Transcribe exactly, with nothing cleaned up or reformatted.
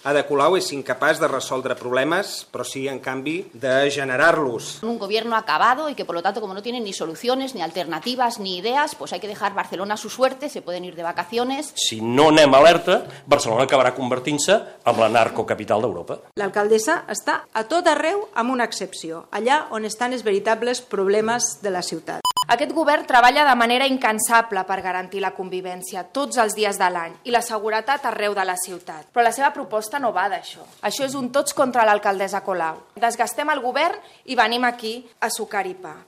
Ada Colau és incapaç de resoldre problemes, però sí, en canvi, de generar-los. Un gobierno acabado y que, por lo tanto, como no tienen ni soluciones, ni alternativas, ni ideas, pues hay que dejar Barcelona a su suerte, se pueden ir de vacaciones. Si no anem alerta, Barcelona acabarà convertint-se en la narcocapital d'Europa. L'alcaldessa està a tot arreu amb una excepció, allà on estan els veritables problemes de la ciutat. Aquest govern treballa de manera incansable per garantir la convivència tots els dies de l'any i la seguretat arreu de la ciutat. Però la seva proposta no va d'això. Això és un tots contra l'alcaldessa Colau. Desgastem el govern i venim aquí a sucar i pa.